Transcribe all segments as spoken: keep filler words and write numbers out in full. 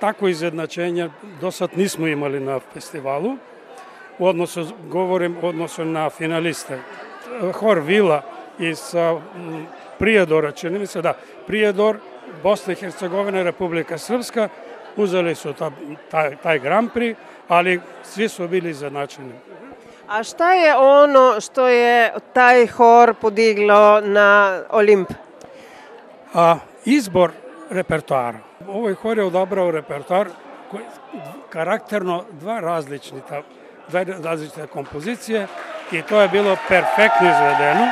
Tako izjednačenje do sad nismo imali na festivalu. U odnosu, govorim u odnosu na finaliste. Hor Vila iz Prijedora, čini mi se da, Prijedor, Bosna i Hercegovina, Republika Srpska, uzeli su ta, taj, taj Grand Prix, ali svi su bili izjednačeni. A šta je ono što je taj hor podiglo na Olimp? A, izbor repertoara. Ovaj hor je odabrao repertoar koji karakterno dva različita, dve različite kompozicije i to je bilo perfektno izvedeno.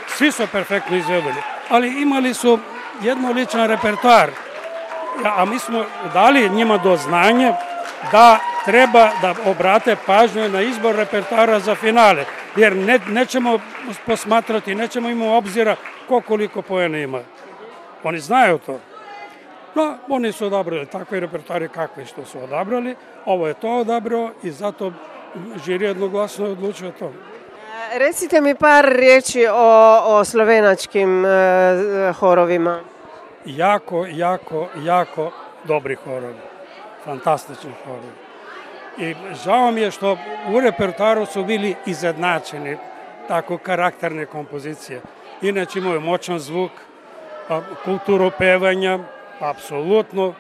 Svi su perfektno izvedeni, ali imali su jednoličan repertoar, a mi smo dali njima do znanja da treba da obrate pažnju na izbor repertoara za finale, jer ne, nećemo posmatrati, nećemo imati obzira ko koliko poena ima. Oni znaju to. No, oni su odabrali takve repertoare kakve što su odabrali, ovo je to odabrao i zato žiri jednoglasno je odlučio to. Recite mi par riječi o, o slovenačkim e, horovima. Jako, jako, jako dobri horovi. Fantastični horovi. I žao mi je što u repertoaru su bili izjednačeni tako karakterne kompozicije. Inače imaju moćan zvuk, kulturu pevanja, apsolutno.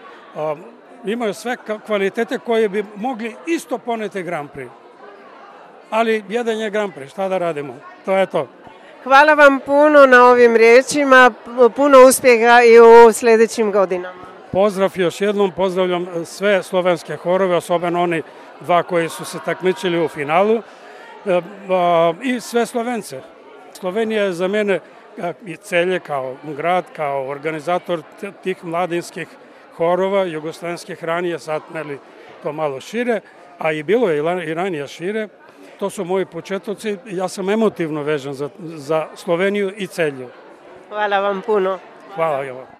Imaju sve kvalitete koje bi mogli isto poneti Grand Prix. Ali jedan je Grand Prix, šta da radimo? To je to. Hvala vam puno na ovim riječima, puno uspjeha i u sljedećim godinama. Pozdrav još jednom, pozdravljam sve slovenske horove, osobeno oni dva koji su se takmičili u finalu i sve Slovence. Slovenija je za mene i Celje kao grad, kao organizator tih mladinskih horova, jugoslovenskih ranije, sad meli to malo šire, a i bilo je i ranije šire. To su moji početnici, ja sam emotivno vezan za, za Sloveniju i Celju. Hvala vam puno. Hvala vam.